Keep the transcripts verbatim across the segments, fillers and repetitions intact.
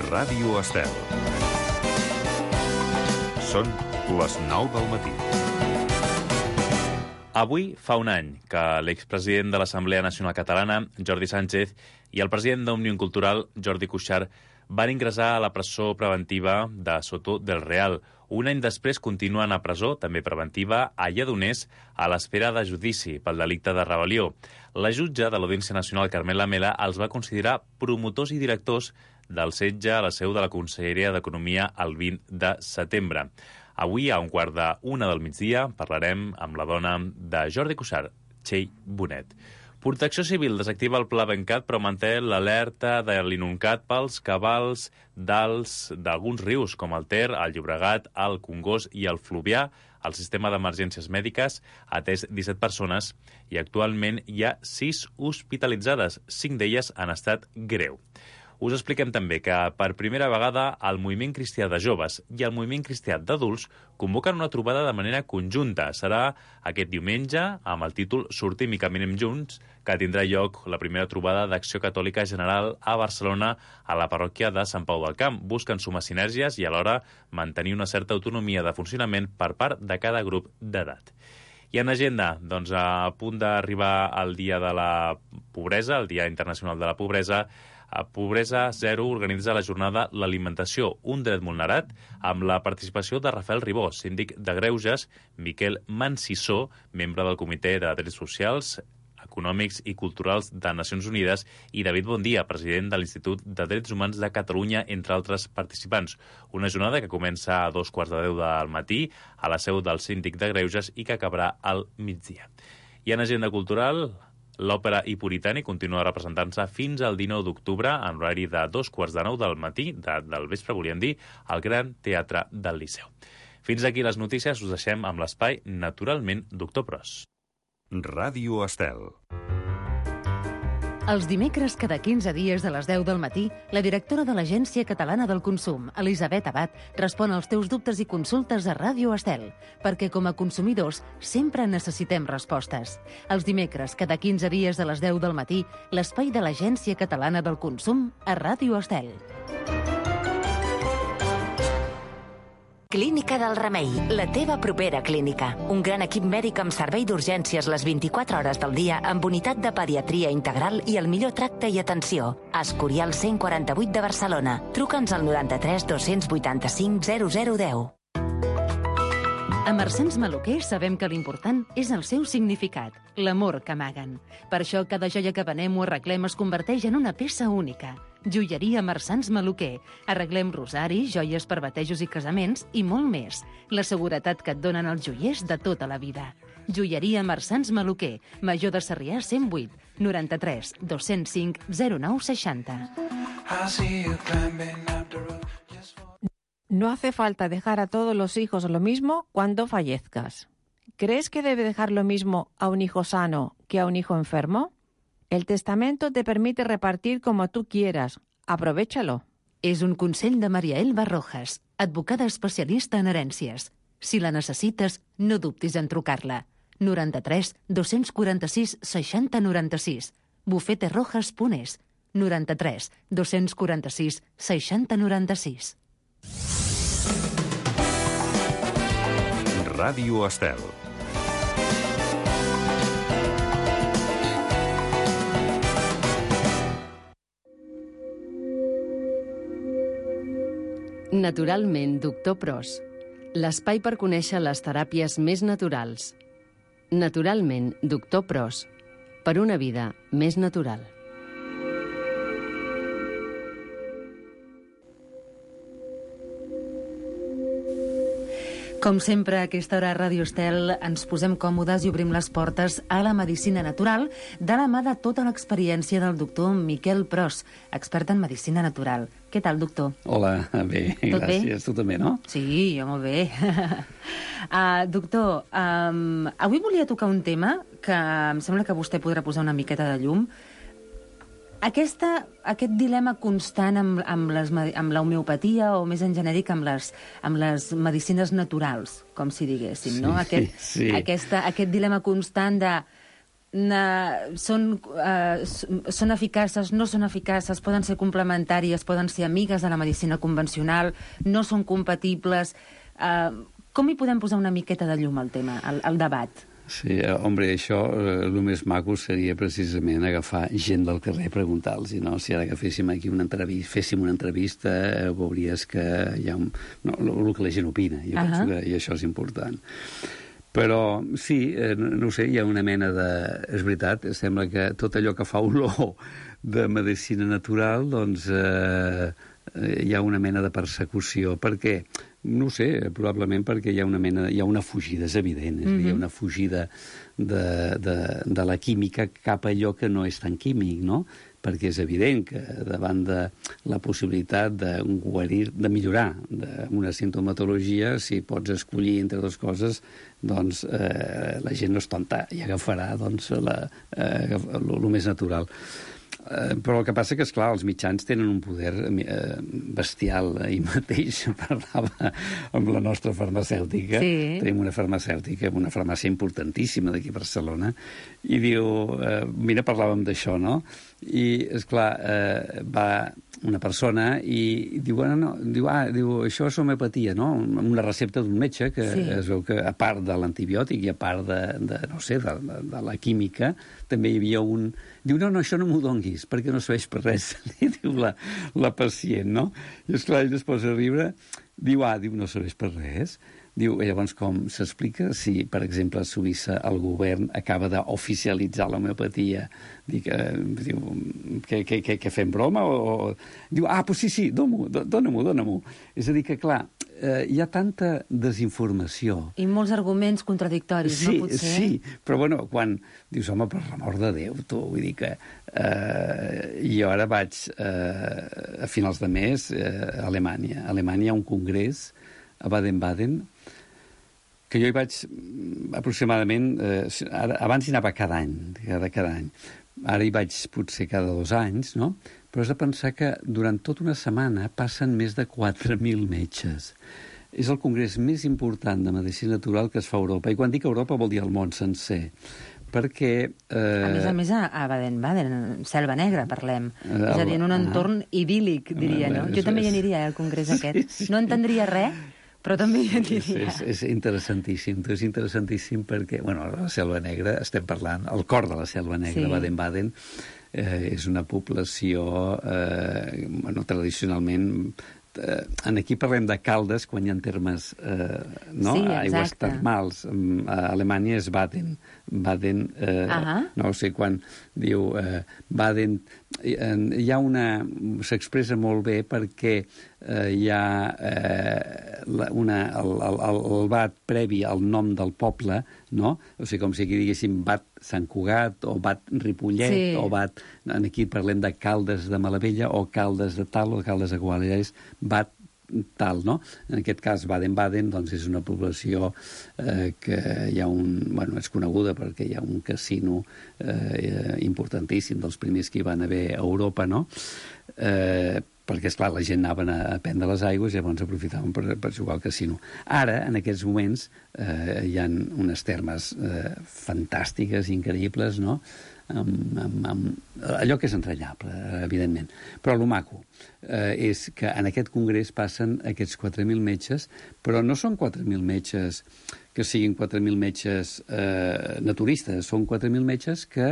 Ràdio Estel. Són les nou del matí. Avui fa un any que l'expresident de l'Assemblea Nacional Catalana, Jordi Sánchez, i el president d'Òmnium Cultural, Jordi Cuixart, van ingressar a la presó preventiva de Soto del Real. Un any després continuen a presó, també preventiva, a Lledoners, a l'espera de judici pel delicte de rebel·lió. La jutge de l'Audiència Nacional, Carmela Mela, els va considerar promotors i directors del setge a la seu de la Conselleria d'Economia el vint de setembre. Avui, a un quart d'una del migdia, parlarem amb la dona de Jordi Cuixart, Txell Bonet. Protecció Civil desactiva el Pla Bencat, però manté l'alerta de l'inuncat pels cabals d'alguns rius, com el Ter, el Llobregat, el Congost i el Fluvià. El sistema d'emergències mèdiques ha atès disset persones i actualment hi ha sis hospitalitzades, cinc d'elles en estat greu. Us expliquem també que per primera vegada el Moviment Cristià de Joves i el Moviment Cristià d'Adults convoquen una trobada de manera conjunta. Serà aquest diumenge amb el títol Sortim i caminem junts, que tindrà lloc la primera trobada d'Acció Catòlica General a Barcelona a la parròquia de Sant Pau del Camp. Busquen sumar sinergies i alhora mantenir una certa autonomia de funcionament per part de cada grup d'edat. I en agenda, doncs, a punt d'arribar al Dia de la Pobresa, el Dia Internacional de la Pobresa, a Pobresa Zero organitza la jornada L'alimentació, un dret vulnerat, amb la participació de Rafael Ribó, síndic de Greuges, Miquel Mansissó, membre del Comitè de Drets Socials, Econòmics i Culturals de Nacions Unides, i David Bondia, president de l'Institut de Drets Humans de Catalunya, entre altres participants. Una jornada que comença a dos quarts de deu del matí a la seu del síndic de Greuges i que acabarà al migdia. I en agenda cultural, l'Òpera Hipuritani continua representant-se fins al dinou d'octubre en horari de dos quarts de nou del matí, de, del vespre, volíem dir, al Gran Teatre del Liceu. Fins aquí les notícies, us deixem amb l'espai Naturalment, doctor Pros. Ràdio Estel. Els dimecres, cada quinze dies a les deu del matí, la directora de l'Agència Catalana del Consum, Elisabet Abad, respon als teus dubtes i consultes a Ràdio Estel, perquè com a consumidors sempre necessitem respostes. Els dimecres, cada quinze dies a les deu del matí, l'espai de l'Agència Catalana del Consum a Ràdio Estel. Clínica del Remei, la teva propera clínica. Un gran equip mèdic amb servei d'urgències les vint-i-quatre hores del dia, amb unitat de pediatria integral i el millor tracte i atenció. Escorial cent quaranta-vuit de Barcelona. Truca'ns al noranta-tres dos-cents vuitanta-cinc zero zero deu. A Mercens Maluquer sabem que l'important és el seu significat, l'amor que amaguen. Per això cada joia que venem o arreglem es converteix en una peça única. Joieria Mercens Maluquer. Arreglem rosaris, joies per batejos i casaments i molt més. La seguretat que et donen els joiers de tota la vida. Joieria Mercens Maluquer. Major de Sarrià cent vuit, noranta-tres dos-cents cinc zero nou seixanta. No hace falta dejar a todos los hijos lo mismo cuando fallezcas. ¿Crees que debe dejar lo mismo a un hijo sano que a un hijo enfermo? El testamento te permite repartir como tú quieras. Aprovéchalo. És un consell de Maria Elba Rojas, advocada especialista en herències. Si la necessites, no dubtis en trucar-la. noranta-tres dos-cents quaranta-sis seixanta noranta-sis. bufeterojas punt es. noranta-tres dos-cents quaranta-sis seixanta noranta-sis. Ràdio Estel. Naturalment, doctor Pros. L'espai per conèixer les teràpies més naturals. Naturalment, doctor Pros. Per una vida més natural. Com sempre, a aquesta hora a Ràdio Estel ens posem còmodes i obrim les portes a la medicina natural de la mà de tota l'experiència del doctor Miquel Pros, expert en medicina natural. Què tal, doctor? Hola, bé, Tot gràcies. bé? Tu també, no? Sí, jo molt bé. uh, doctor, um, avui volia tocar un tema que em sembla que vostè podrà posar una miqueta de llum. Aquesta, aquest dilema constant amb, amb, les, amb l'homeopatia o més en genèric amb les, amb les medicines naturals, com si diguéssim, no? Sí, Aquest, sí. Aquesta, aquest dilema constant de Na, són, uh, són eficaces, no són eficaces, poden ser complementàries, poden ser amigues de la medicina convencional, no són compatibles. Uh, com hi podem posar una miqueta de llum al tema, al, al debat? Sí, hombre, això, el més maco seria precisament agafar gent del carrer i preguntar-los, no? Si ara que féssim aquí una entrevista, féssim una entrevista, veuries que hi ha un... No, el que la gent opina, jo uh-huh. penso que i això és important. Però, sí, eh, no ho sé, hi ha una mena de... És veritat, sembla que tot allò que fa olor de medicina natural, doncs eh, hi ha una mena de persecució. Per què? No ho sé, probablement perquè hi ha una mena... Hi ha una fugida, és evident, és mm-hmm. hi ha una fugida de, de, de la química cap a allò que no és tan químic, no? Perquè és evident que davant de la possibilitat de guarir, de millorar una sintomatologia, si pots escollir entre dues coses, doncs eh, la gent no és tonta i agafarà doncs, la, eh, el més natural. Eh, però el que passa que, esclar, els mitjans tenen un poder eh, bestial. Ahir mateix parlava amb la nostra farmacèutica. Sí. Tenim una farmacèutica, una farmàcia importantíssima d'aquí a Barcelona, i diu, eh, mira, parlàvem d'això, no? I, esclar, eh, va una persona i diu, bueno, no, diu, ah, diu, això és homeopatia, no? Una recepta d'un metge que sí. Es veu que, a part de l'antibiòtic i a part de, de no sé, de, de, de la química, també hi havia un... Diu, no, no, això no m'ho donguis, perquè no serveix per res, diu la, la pacient, no? I, esclar, ell es posa a riure, diu, ah, diu, no serveix per res. Diu, llavors, com s'explica si, per exemple, a Suïssa el govern acaba d'oficialitzar l'homeopatia? Dic, eh, diu, que, que, que, que fem broma? O, o... Diu, ah, pues sí, sí, dona-m'ho, dona-m'ho, dona-m'ho. És a dir, que, clar, eh, hi ha tanta desinformació. I molts arguments contradictoris, sí, no? Potser? Sí, però, bueno, quan dius, home, per l'amor de Déu, tu, vull dir que... Eh, jo ara vaig, eh, a finals de mes, eh, a Alemanya. A Alemanya hi ha un congrés a Baden-Baden, que jo hi vaig aproximadament... Eh, ara, abans hi anava cada any, cada, cada any. Ara hi vaig potser cada dos anys, no? Però has de pensar que durant tota una setmana passen més de quatre mil metges. És el congrés més important de medicina natural que es fa a Europa. I quan dic Europa vol dir el món sencer. Perquè... Eh... A més a més, a Baden-Baden, Selva Negra, parlem. El... És a dir, en un entorn ah. idíl·lic, diria, no? Jo també hi aniria, al congrés aquest. Sí, sí. No entendria res, però també hi aniria. És, és, és interessantíssim, és interessantíssim perquè, bueno, la Selva Negra, estem parlant, el cor de la Selva Negra, sí. Baden-Baden, eh, és una població, eh, bueno, tradicionalment... Eh, en aquí parlem de Caldes quan hi ha termes, eh, no? Sí, aigües termals. A Alemanya és Baden. Baden, eh, uh-huh. no sé, quan diu eh, Baden, eh, hi ha una... s'expressa molt bé perquè eh, hi ha eh, una, el, el, el bat previ al nom del poble, no? O sigui, com si aquí diguéssim Bat Sant Cugat o Bat Ripollet, sí. O Bat... Aquí parlem de Caldes de Malavella o Caldes de tal o Caldes de Gual, és Bat tal, no? En aquest cas, Baden-Baden, doncs, és una població eh, que hi ha un... Bueno, és coneguda perquè hi ha un casino eh, importantíssim, dels primers que hi van haver a Europa, no? Eh, perquè, esclar, la gent anaven a prendre les aigües i llavors aprofitaven per, per jugar al casino. Ara, en aquests moments, eh, hi ha unes termes eh, fantàstiques, increïbles, no?, Amb, amb, amb allò que és entranyable, evidentment. Però el maco eh, és que en aquest congrés passen aquests quatre mil metges, però no són quatre mil metges que siguin quatre mil metges eh, naturistes, són quatre mil metges que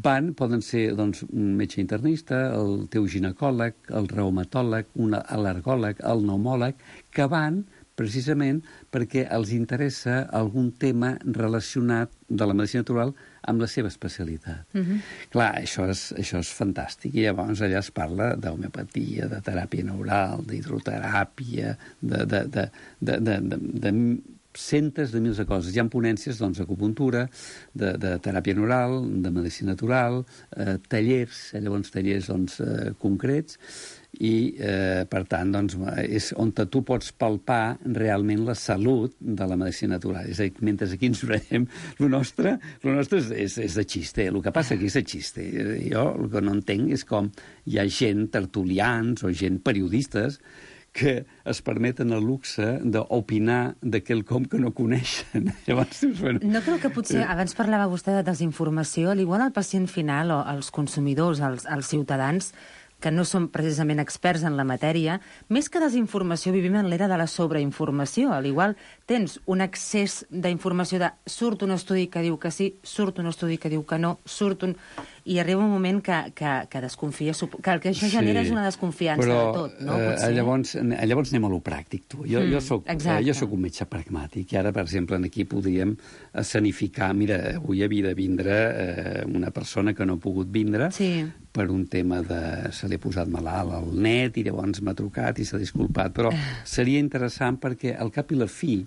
van, poden ser doncs, un metge internista, el teu ginecòleg, el reumatòleg, un al·lergòleg, el pneumòleg, que van precisament perquè els interessa algun tema relacionat de la medicina natural amb la seva especialitat. Uh-huh. Clar, això és, això és fantàstic. I llavors allà es parla d'homeopatia, de teràpia neural, d'hidroteràpia, de, de, de, de, de, de, de centes de mils de coses. Hi ha ponències doncs, d'acupuntura, de, de teràpia neural, de medicina natural, eh, tallers, llavors tallers doncs, eh, concrets, i, eh, per tant, doncs, és on tu pots palpar realment la salut de la medicina natural. És a dir, mentre aquí ens veiem, el nostre, el nostre és, és, és de xiste. El que passa aquí és de xiste. Jo el que no entenc és com hi ha gent, tertulians o gent periodistes, que es permeten el luxe d'opinar de quelcom que no coneixen. Llavors, bueno... No creu que potser, abans parlava vostè de desinformació, igual al pacient final o als consumidors, als, als ciutadans, que no són precisament experts en la matèria, més que desinformació vivim en l'era de la sobreinformació. Al igual tens un excés d'informació de surt un estudi que diu que sí, surt un estudi que diu que no, surt un... I arriba un moment que, que, que desconfia, que el que això Sí, genera és una desconfiança però, de tot, no? eh, Potser. llavors, llavors anem a lo pràctic, tu. Jo, Mm, jo, soc, eh, exacte. jo soc un metge pragmàtic i ara, per exemple, aquí podríem escenificar... Mira, avui havia de vindre eh, una persona que no ha pogut vindre Sí. per un tema de... se li ha posat malalt al net i llavors m'ha trucat i s'ha disculpat, però seria interessant perquè al cap i la fi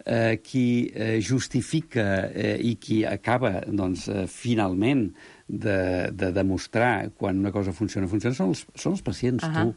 eh, qui eh, justifica eh, i qui acaba, doncs, eh, finalment de, de demostrar quan una cosa funciona, funciona, són els, són els pacients, uh -huh. tu.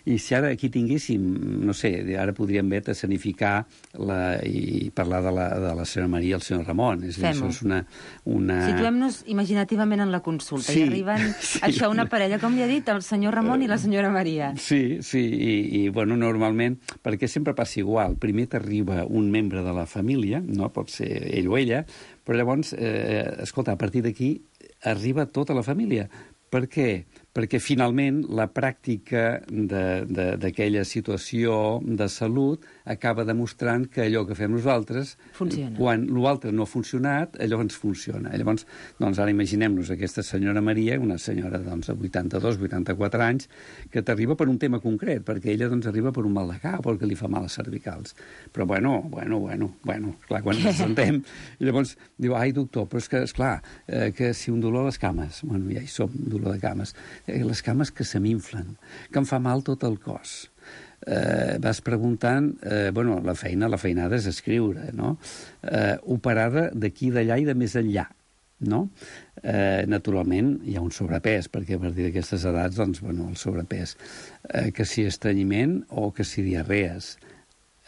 I si ara aquí tinguéssim, no sé, ara podríem bé escenificar la, i parlar de la, de la senyora Maria i el senyor Ramon. És dir, això és una... una... Situem-nos imaginativament en la consulta Sí, i arriben, sí. això, una parella, com li ha dit, el senyor Ramon i la senyora Maria. Sí, sí, i, i bueno, normalment, perquè sempre passa igual, primer t'arriba un membre de la família, no pot ser ell o ella, però llavors, eh, escolta, a partir d'aquí arriba tota la família. Per què? Perquè finalment la pràctica d'aquella situació de salut acaba demostrant que allò que fem nosaltres, funciona. Quan l'altre no ha funcionat, allò ens funciona. Llavors, doncs ara imaginem-nos aquesta senyora Maria, una senyora doncs, de vuitanta-dos, vuitanta-quatre anys, que t'arriba per un tema concret, perquè ella doncs, arriba per un mal de cap o el que li fa mal a les cervicals. Però bueno, bueno, bueno, bueno, clar, quan ens sentem, i llavors diu, ai, doctor, però és que, esclar, eh, que si un dolor a les cames, bueno, ja hi som, dolor de cames, eh, les cames que se m'inflen, que em fa mal tot el cos. Eh, vas preguntant, eh, bueno, la feina, la feinada és escriure, no? Eh, operada d'aquí, d'allà i de més enllà, no? Eh, naturalment hi ha un sobrepès, perquè a partir d'aquestes edats, doncs, bueno, el sobrepès, eh, que si estrenyiment o que si diarrees,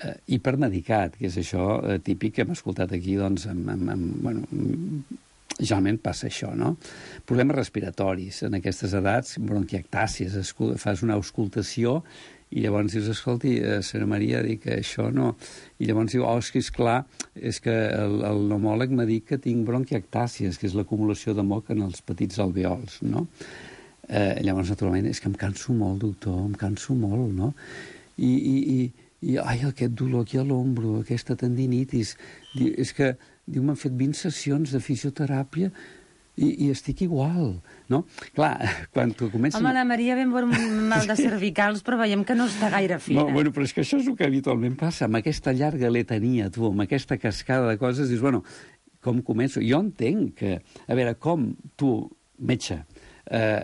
eh, hipermedicat, que és això eh, típic que hem escoltat aquí, doncs, amb, amb, amb, bueno, generalment passa això, no? Problemes respiratoris, en aquestes edats, bronquiectàcies, fas una auscultació i llavors dius, escolti, eh, senyora Maria, dic que això no... I llavors diu, oh, és que és clar, és que el, el pneumòleg m'ha dit que tinc bronquiectàcies, que és l'acumulació de moc en els petits alveols, no? Eh, llavors, naturalment, és que em canso molt, doctor, em canso molt, no? I, i, i, i ai, aquest dolor aquí a l'ombro, aquesta tendinitis, és que, diu, m'han fet vint sessions de fisioteràpia i, i estic igual, no? Clar, quan tu comences... Home, la Maria ben per un mal de cervicals, però veiem que no està gaire fina. No, bueno, però és que això és el que habitualment passa, amb aquesta llarga letania, tu, amb aquesta cascada de coses, dius, bueno, com començo? Jo entenc que, a veure, com tu, metge, eh,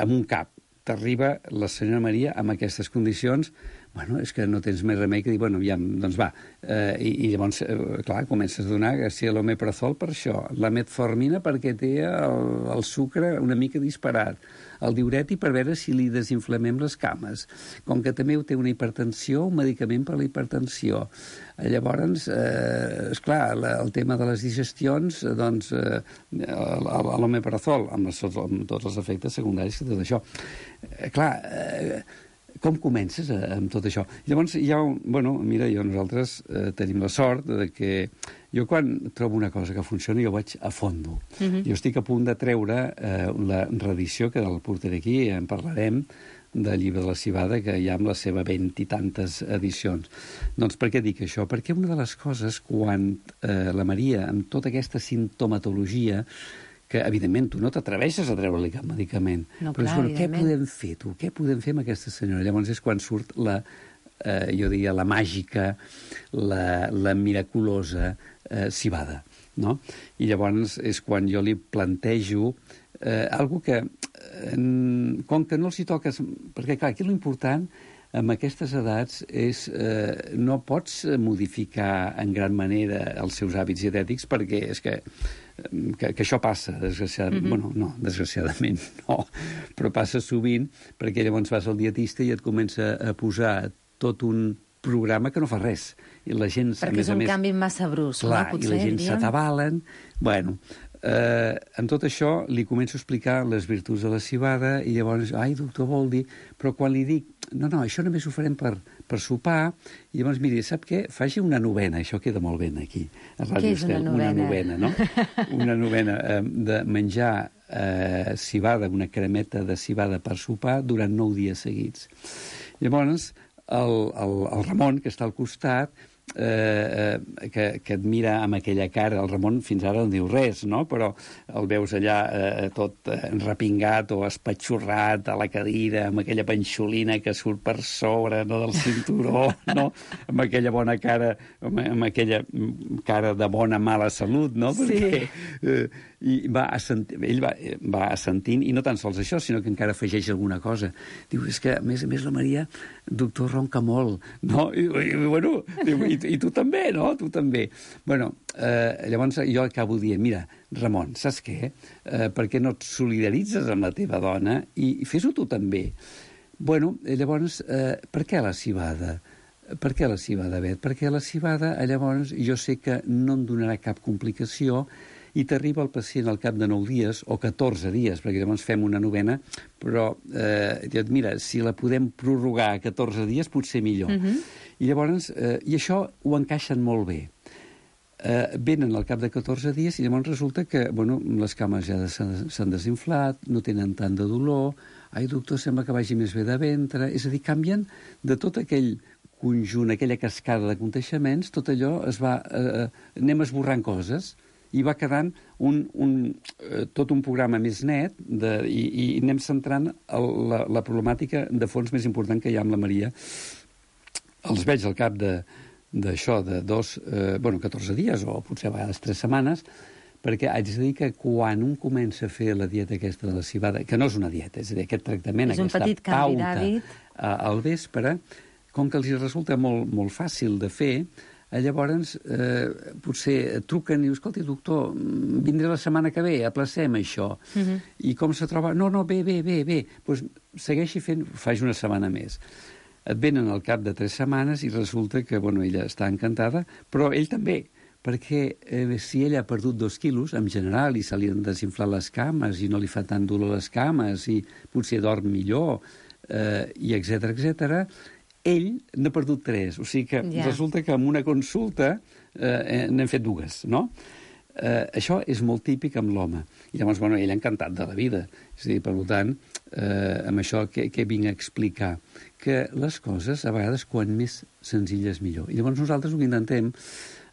amb un cap, t'arriba la senyora Maria amb aquestes condicions, bueno, és que no tens més remei que dir, bueno, ja, doncs va. Eh, i, I llavors, eh, clar, comences a donar que si l'omeprazol per això, la metformina perquè té el, el sucre una mica disparat, el diureti per veure si li desinflamem les cames, com que també té una hipertensió, un medicament per la hipertensió. Llavors, eh, esclar, la, el tema de les digestions, doncs, eh, l'omeprazol, amb, amb tots els efectes secundaris que té això. Eh, clar, eh, com comences a, amb tot això? Llavors, hi ha un... Bueno, mira, jo, nosaltres eh, tenim la sort de que jo quan trobo una cosa que funciona jo vaig a fondo. Uh-huh. Jo estic a punt de treure eh, la reedició, que el portaré aquí, en parlarem, del llibre de la Civada, que hi ha amb la seva vint i tantes edicions. Doncs per què dic això? Perquè una de les coses, quan eh, la Maria, amb tota aquesta sintomatologia, que, evidentment, tu no t'atreveixes a treure-li cap medicament. No, però clar, és, bueno, què evidentment. podem fer, tu? Què podem fer amb aquesta senyora? Llavors és quan surt la, eh, jo diria, la màgica, la, la miraculosa eh, civada, no? I llavors és quan jo li plantejo eh, algo que, eh, com que no els hi toques... Perquè, clar, aquí l'important amb aquestes edats és eh, no pots modificar en gran manera els seus hàbits dietètics perquè és que Que, que això passa, desgraciadament. Mm-hmm. Bueno, no, desgraciadament no, però passa sovint perquè llavors vas al dietista i et comença a posar tot un programa que no fa res. I la gent, perquè a més és un a més, canvi massa brusc, clar, no? Potser, i la gent s'atabalen. Bueno, Eh, amb tot això li començo a explicar les virtuts de la civada i llavors, ai, doctor, vol dir... Però quan li dic, no, no, això només ho farem per, per sopar, i llavors, miri, sap què? Faci una novena, això queda molt ben aquí. Què és una novena? Una novena, no? Una novena eh, de menjar eh, civada, una cremeta de civada per sopar durant nou dies seguits. Llavors, el, el, el Ramon, que està al costat, Eh, eh, que, que et mira amb aquella cara, el Ramon fins ara no diu res, no? Però el veus allà eh, tot eh, repingat o espatxorrat a la cadira, amb aquella panxolina que surt per sobre, no, del cinturó, no? Amb aquella bona cara, amb, amb aquella cara de bona mala salut, no? Sí. Perquè, eh, i va assent... ell va, va assentint, i no tan sols això, sinó que encara afegeix alguna cosa. Diu, és que, a més a més, la Maria, doctor, ronca molt, no? I, i bueno, diu, i, i tu també, no? Tu també. Bueno, eh, llavors jo acabo dient, mira, Ramon, saps què? Eh, per què no et solidaritzes amb la teva dona i, i fes-ho tu també? Bueno, llavors, eh, per què la civada? Per què la civada, Bet? Perquè la civada, llavors, jo sé que no em donarà cap complicació i t'arriba el pacient al cap de nou dies o catorze dies, perquè llavors fem una novena, però eh, dius, mira, si la podem prorrogar a catorze dies, potser millor. Uh-huh. I llavors, eh, i això ho encaixen molt bé. Eh, venen al cap de catorze dies i llavors resulta que, bueno, les cames ja s'han desinflat, no tenen tant de dolor, ai, doctor, sembla que vagi més bé de ventre, és a dir, canvien de tot aquell conjunt, aquella cascada de contagiaments, tot allò es va... Eh, anem esborrant coses, i va quedant un, un, eh, tot un programa més net de, i, i anem centrant el, la, la problemàtica de fons més important que hi ha amb la Maria. Els veig al cap d'això, de, de dos, eh, bueno, catorze dies o potser a vegades tres setmanes, perquè haig de dir que quan un comença a fer la dieta aquesta de la civada, que no és una dieta, és a dir, aquest tractament, és aquesta pauta al vespre, com que els resulta molt, molt fàcil de fer, llavors eh, potser truquen i dius, escolta, doctor, vindré la setmana que ve, aplacem això. Uh-huh. I com se troba? No, no, bé, bé, bé, bé. Pues segueixi fent, faig una setmana més. Et venen al cap de tres setmanes i resulta que, bueno, ella està encantada, però ell també, perquè eh, si ella ha perdut dos quilos, en general, i se li han desinflat les cames i no li fa tant dolor les cames i potser dorm millor, eh, i etcètera, etcètera, ell n'ha perdut tres, o sigui que ja. Resulta que en una consulta eh, n'hem fet dues, no? Eh, això és molt típic amb l'home. I llavors, bueno, ell ha encantat de la vida. És a dir, per tant, eh, amb això que, que vinc a explicar, que les coses, a vegades, quan més senzilles millor. I llavors nosaltres ho intentem,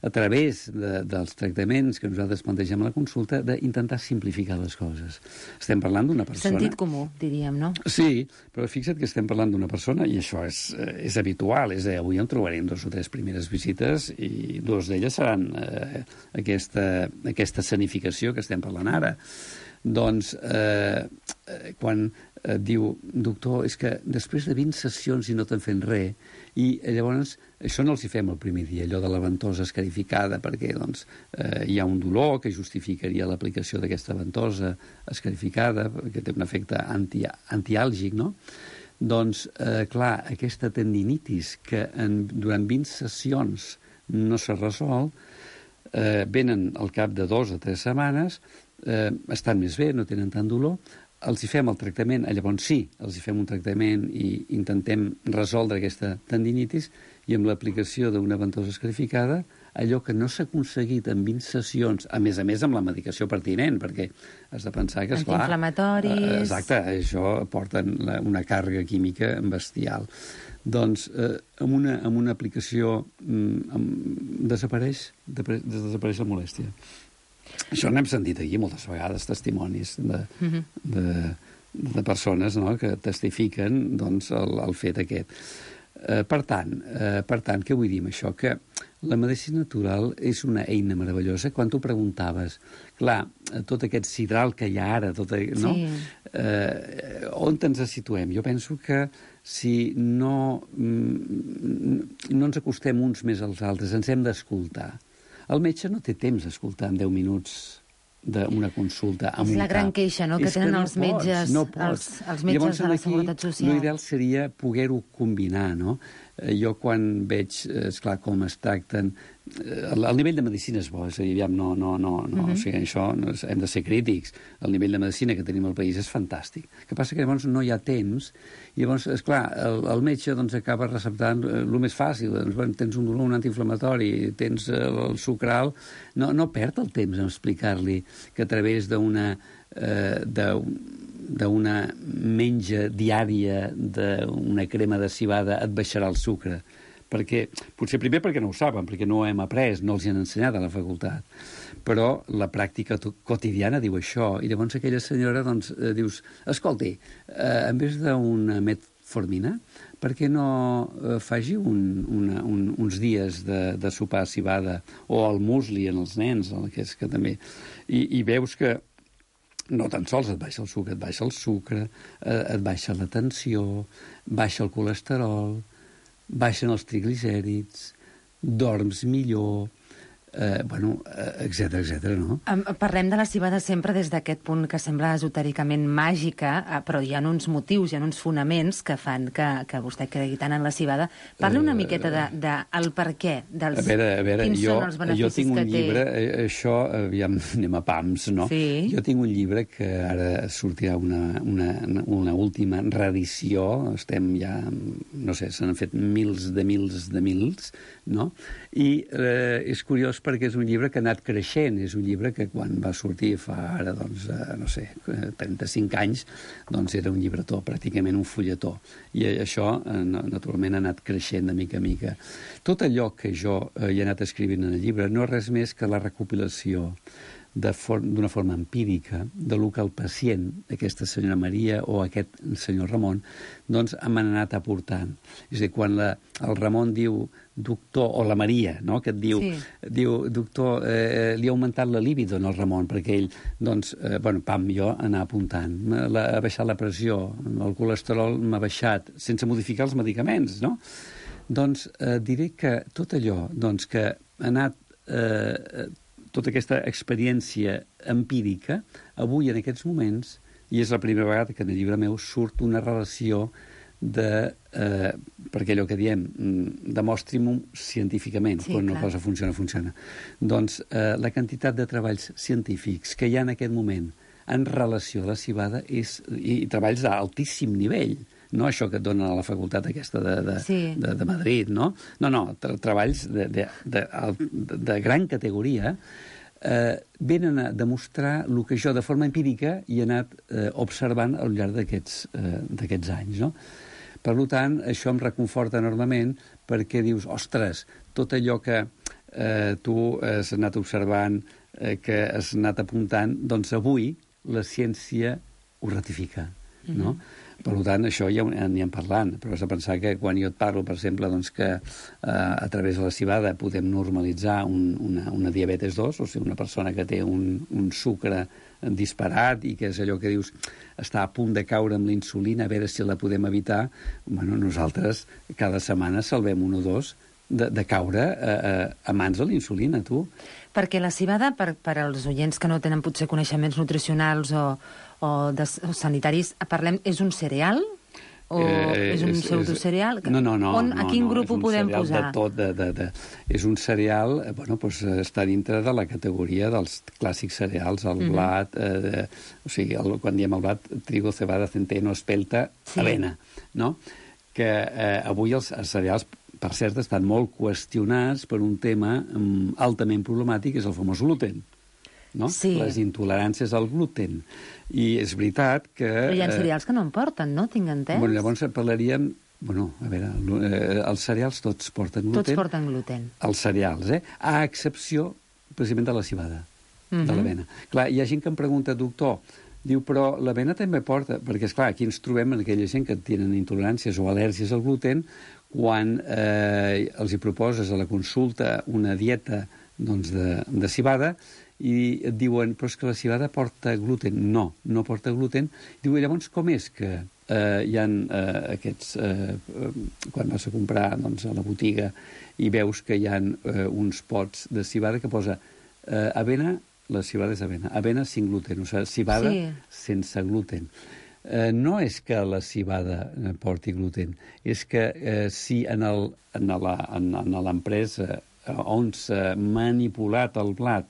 a través de, dels tractaments que nosaltres plantegem a la consulta, d'intentar simplificar les coses. Estem parlant d'una persona... Sentit comú, diríem, no? Sí, però fixa't que estem parlant d'una persona, i això és, és habitual, és a dir, avui en trobarem dos o tres primeres visites i dues d'elles seran eh, aquesta, aquesta escenificació que estem parlant ara. Doncs, eh, quan eh, diu, doctor, és que després de vint sessions i no te'n fent res, i llavors això no els hi fem el primer dia, allò de la ventosa escarificada, perquè doncs, eh, hi ha un dolor que justificaria l'aplicació d'aquesta ventosa escarificada, que té un efecte anti, antiàlgic, no? Doncs, eh, clar, aquesta tendinitis que en, durant vint sessions no s'ha resolt, eh, venen al cap de dos o tres setmanes, eh, estan més bé, no tenen tant dolor, els hi fem el tractament, llavors sí, els hi fem un tractament i intentem resoldre aquesta tendinitis i amb l'aplicació d'una ventosa escarificada, allò que no s'ha aconseguit en vint sessions, a més a més amb la medicació pertinent, perquè has de pensar que, esclar... Antiinflamatoris... Eh, exacte, això porta una càrrega química bestial. Doncs eh, amb, una, amb una aplicació mm, amb, desapareix, de, desapareix la molèstia. Això n'hem sentit aquí moltes vegades, testimonis de, uh-huh. de, de persones, no?, que testifiquen doncs, el, el fet aquest. Eh, per tant, eh, per tant, què vull dir amb això? Que la medicina natural és una eina meravellosa. Quan tu preguntaves, clar, tot aquest sidral que hi ha ara, tot, no? Sí. Eh, on ens situem? Jo penso que si no, no ens acostem uns més als altres, ens hem d'escoltar. El metge no té temps d'escoltar en deu minuts d'una consulta amb un cap. És la gran queixa, no?, que tenen no els metges, no els, els metges de la Seguretat Social. L'ideal seria poder-ho combinar, no? Jo quan veig, esclar, com es tracten el, el nivell de medicina és bo, és a dir, aviam, no, no, no, no, uh-huh. o sigui, això no és, hem de ser crítics. El nivell de medicina que tenim al país és fantàstic. El que passa que llavors no hi ha temps, i llavors, esclar, el, el metge doncs, acaba receptant el més fàcil, doncs, bueno, tens un dolor, un antiinflamatori, tens el, el sucre alt, no, no perd el temps en explicar-li que a través d'una eh, d'una menja diària d'una crema de civada et baixarà el sucre. Perquè, potser primer perquè no ho saben, perquè no ho hem après, no els hi han ensenyat a la facultat. Però la pràctica quotidiana diu això, i llavors aquella senyora doncs, eh, dius, escolti, eh, en vez d'una metformina, per què no eh, faci un, una, un, uns dies de, de sopar civada, o el musli en els nens, el que és que també... I, i veus que no tan sols et baixa el sucre, et baixa el sucre, eh, et baixa la tensió, baixa el colesterol, baixen els triglicèrids, dorms millor, eh, bueno, etcètera, etcètera, no? Parlem de la civada sempre des d'aquest punt que sembla esotèricament màgica, però hi ha uns motius, hi ha uns fonaments que fan que, que vostè cregui tant en la civada. Parla una miqueta de, de el per què, dels, a veure, a veure, quins jo, són els beneficis jo tinc un que té. llibre, això, aviam, anem a pams, no? Sí. Jo tinc un llibre que ara sortirà una, una, una última reedició, estem ja, no sé, se n'han fet mils de mils de mils, no? I eh, és curiós perquè és un llibre que ha anat creixent, és un llibre que quan va sortir fa ara, doncs, eh, no sé, trenta-cinc anys, doncs era un llibretó, pràcticament un fulletó. I això, eh, naturalment, ha anat creixent de mica a mica. Tot allò que jo eh, he anat escrivint en el llibre no és res més que la recopilació d'una for forma empírica de lo que el pacient, aquesta senyora Maria o aquest senyor Ramon, doncs m'han anat aportant. És a dir, quan la, el Ramon diu doctor, o la Maria, no?, que et diu, sí. diu doctor, eh, li ha augmentat la libido al Ramon, perquè ell, doncs, eh, bueno, pam, jo anar apuntant. La, ha baixat la pressió, el colesterol m'ha baixat, sense modificar els medicaments, no? Doncs eh, diré que tot allò doncs, que ha anat... Eh, tota aquesta experiència empírica, avui, en aquests moments, i és la primera vegada que en el llibre meu surt una relació de... Eh, perquè allò que diem, demostri-m'ho científicament, sí, quan una cosa funciona, funciona. Doncs eh, la quantitat de treballs científics que hi ha en aquest moment en relació a la civada és, i, i treballs d'altíssim nivell, no això que et donen a la facultat aquesta de, de, sí. de, de Madrid, no? No, no, tra treballs de, de, de, de, de gran categoria eh, venen a demostrar el que jo de forma empírica he anat eh, observant al llarg d'aquests eh, anys, no? Per tant, això em reconforta enormement perquè dius, ostres, tot allò que eh, tu has anat observant, eh, que has anat apuntant, doncs avui la ciència ho ratifica, no? Mm-hmm. Per tant, això ja n'hi hem parlant, però has de pensar que quan jo et parlo, per exemple, doncs que eh, a través de la civada podem normalitzar un, una, una diabetes dos, o sigui, una persona que té un, un sucre disparat i que és allò que dius està a punt de caure amb la insulina, a veure si la podem evitar, bueno, nosaltres cada setmana salvem un o dos de, de caure eh, a mans de la insulina, tu. Perquè la civada, per, per als oients que no tenen potser coneixements nutricionals o, o, de, o sanitaris, parlem, és un cereal? O eh, és un és, pseudocereal? No, no, no. On, no a quin no, grup ho podem posar? De tot, de, de, de, és un cereal, eh, bueno, doncs, està dintre de la categoria dels clàssics cereals, el mm-hmm. blat, eh, o sigui, el, quan diem el blat, trigo, cebada, centeno, espelta, sí. avena, no? Que eh, avui els, els cereals, per cert, estan molt qüestionats per un tema um, altament problemàtic, que és el famós gluten. No? Sí. Les intoleràncies al gluten. I és veritat que... Però hi ha cereals que no en porten, no? Tinc entès? Bueno, llavors parlaríem... Bueno, a veure, eh, els cereals tots porten gluten. Tots porten gluten. Els cereals, eh? A excepció, precisament, de la civada, uh-huh. de l'avena. Clar, hi ha gent que em pregunta, doctor, diu, però l'avena també porta... Perquè, esclar, aquí ens trobem en aquella gent que tenen intoleràncies o al·lèrgies al gluten, quan eh, els hi proposes a la consulta una dieta doncs, de, de civada i et diuen, però és que la civada porta gluten. No, no porta gluten. Diu, llavors, com és que eh, hi ha eh, aquests... Eh, quan vas a comprar doncs, a la botiga i veus que hi ha eh, uns pots de civada que posa eh, avena, la civada és avena, avena sin gluten, o sigui, civada sí. sense gluten. Eh, no és que la civada porti gluten, és que eh, si en l'empresa on s'ha manipulat el blat,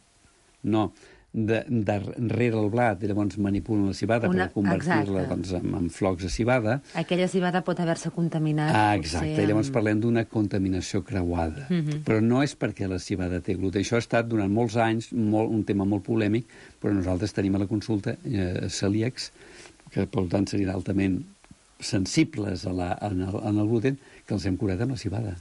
no, de, de rere el blat, i llavors manipulen la civada Una... per convertir-la doncs, en, en flocs de civada. Aquella civada pot haver-se contaminat. Ah, exacte, potser, i llavors amb... parlem d'una contaminació creuada. Uh -huh. Però no és perquè la civada té gluten. Això ha estat durant molts anys molt, un tema molt polèmic, però nosaltres tenim a la consulta eh, celíacs, que per tant serien altament sensibles a la, en, el, en el gluten, que els hem curat amb la civada.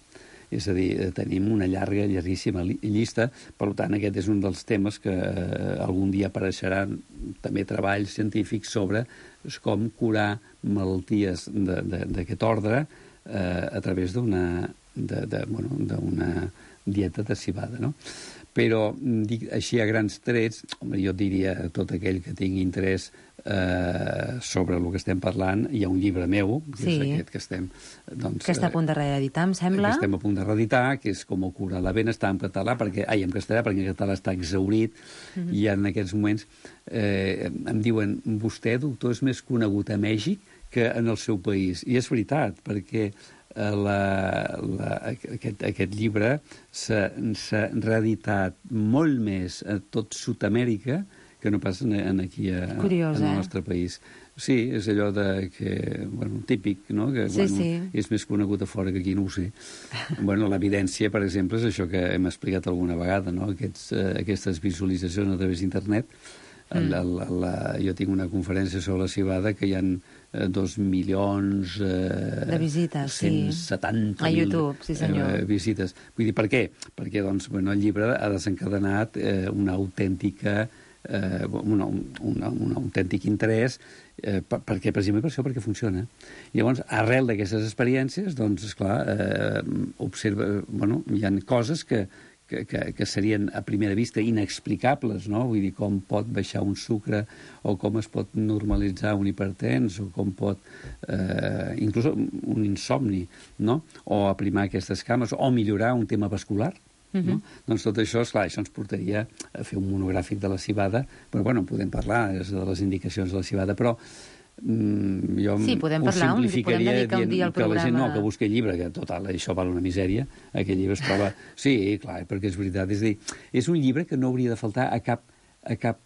És a dir, tenim una llarga, llarguíssima llista, per tant, aquest és un dels temes que eh, algun dia apareixeran també treballs científics sobre com curar malalties d'aquest ordre eh, a través d'una de, de, bueno, d'una dieta de civada, no? Però, dic, així a grans trets, home, jo diria tot aquell que tingui interès eh, sobre el que estem parlant, hi ha un llibre meu, que sí. és aquest que estem... Doncs, que està a punt de reeditar, em sembla. Que estem a punt de reeditar, que és Com curar la vena, està en català, perquè, ai, en castellà, perquè en català està exhaurit, mm-hmm. i en aquests moments eh, em diuen, vostè, doctor, és més conegut a Mèxic que en el seu país. I és veritat, perquè La, la, aquest, aquest llibre s'ha reeditat molt més a tot Sud-amèrica que no pas en, en aquí a, Curiós, en el eh? nostre país. Sí, és allò de que, bueno, típic, no? Que sí, bueno, sí. és més conegut a fora que aquí, no ho sé. Bueno, l'evidència, per exemple, és això que hem explicat alguna vegada, no? Aquests, eh, aquestes visualitzacions a través d'internet. Mm. La, la, la, jo tinc una conferència sobre la civada que hi ha eh, dos milions... Eh, de visites, cent setanta sí. A YouTube, sí senyor. Eh, visites. Vull dir, per què? Perquè doncs, bueno, el llibre ha desencadenat eh, una autèntica... Eh, un, un, un autèntic interès eh, per, perquè, precisament per això, perquè funciona. I llavors, arrel d'aquestes experiències, doncs, esclar, eh, observa... Bueno, hi ha coses que Que, que, que serien a primera vista inexplicables, no? Vull dir, com pot baixar un sucre o com es pot normalitzar un hipertens o com pot, eh, inclús un insomni, no? O aprimar aquestes cames o millorar un tema vascular. Uh-huh. No? Doncs tot això, esclar, això ens portaria a fer un monogràfic de la civada, però bueno, podem parlar de les indicacions de la civada, però Mm, jo sí, podem parlar, ho simplificaria podem dedicar un dia al que la gent programa. no, que busqui el llibre, que total, això val una misèria, aquest llibre es troba... Sí, clar, perquè és veritat, és a dir, és un llibre que no hauria de faltar a cap, a cap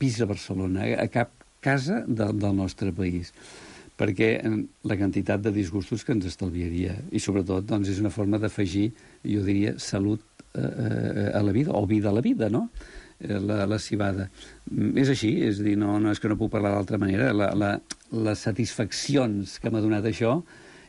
pis a Barcelona, a cap casa de, del nostre país, perquè la quantitat de disgustos que ens estalviaria, i sobretot, doncs, és una forma d'afegir, jo diria, salut eh, a la vida, o vida a la vida, no?, La, la civada. És així, és a dir, no, no és que no puc parlar d'altra manera. La, la, les satisfaccions que m'ha donat això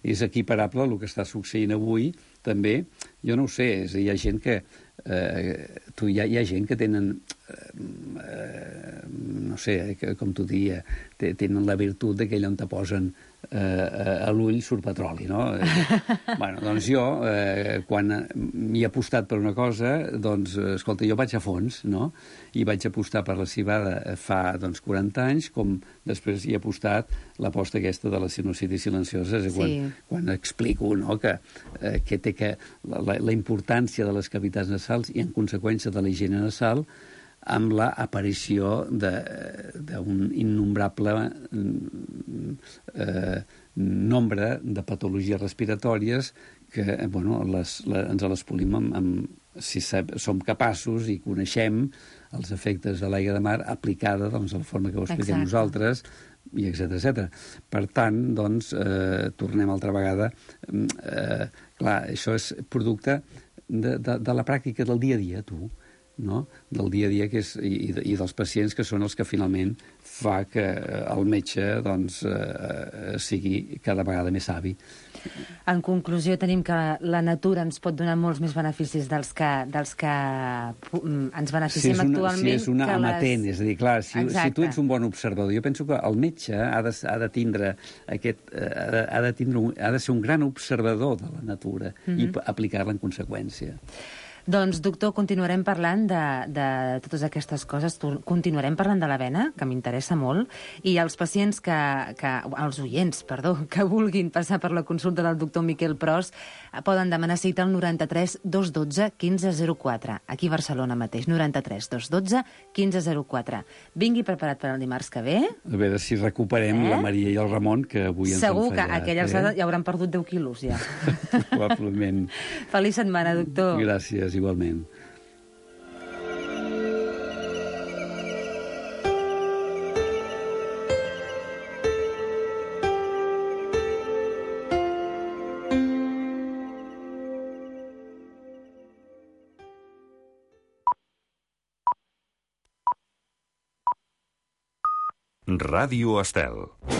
és equiparable al que està succeint avui, també. Jo no ho sé, és a dir, hi ha gent que... Eh, tu, hi, ha, hi ha gent que tenen... Eh, no sé, que, com t'ho diria, tenen la virtut de que allà on te posen eh, a l'ull surt petroli, no? Bueno, doncs jo, eh, quan m'hi he apostat per una cosa, doncs, escolta, jo vaig a fons, no? I vaig apostar per la civada fa, doncs, quaranta anys, com després hi he apostat l'aposta aquesta de la sinusitis silenciosa, és quan, sí. quan explico, no?, que, eh, que té que la, la importància de les cavitats nasals i, en conseqüència, de la higiene nasal, amb l'aparició d'un innombrable eh, nombre de patologies respiratòries que, bueno, les, les, ens les polim amb, amb, si sab, som capaços i coneixem els efectes de l'aigua de mar aplicada, doncs, de la forma que ho expliquem Exacte. Nosaltres, i etcètera, etcètera. Per tant, doncs, eh, tornem altra vegada... Eh, clar, això és producte de, de, de la pràctica del dia a dia, tu, no? Del dia a dia que és, i, i dels pacients que són els que finalment fa que el metge doncs, eh, sigui cada vegada més savi. En conclusió, tenim que la natura ens pot donar molts més beneficis dels que, dels que ens beneficiem si una, actualment. Si és una que amatent, les... és a dir, clar, si, si tu ets un bon observador, jo penso que el metge ha de, ha de tindre aquest, ha de, ha de, tindre un, ha de ser un gran observador de la natura mm-hmm. i aplicar-la en conseqüència. Doncs, doctor, continuarem parlant de, de totes aquestes coses, continuarem parlant de la vena, que m'interessa molt, i els pacients que, que, els oients, perdó, que vulguin passar per la consulta del doctor Miquel Pros, poden demanar cita al noranta-tres dos dotze quinze zero quatre, aquí a Barcelona mateix, noranta-tres dos dotze quinze zero quatre. Vingui preparat per al dimarts que ve. A veure si recuperem eh? la Maria i el Ramon, que avui ens Segur han fallat. Segur que aquelles eh? ja hauran perdut deu quilos, ja. Probablement. Feliç setmana, doctor. Gràcies. gràcies, igualment. Ràdio Estel.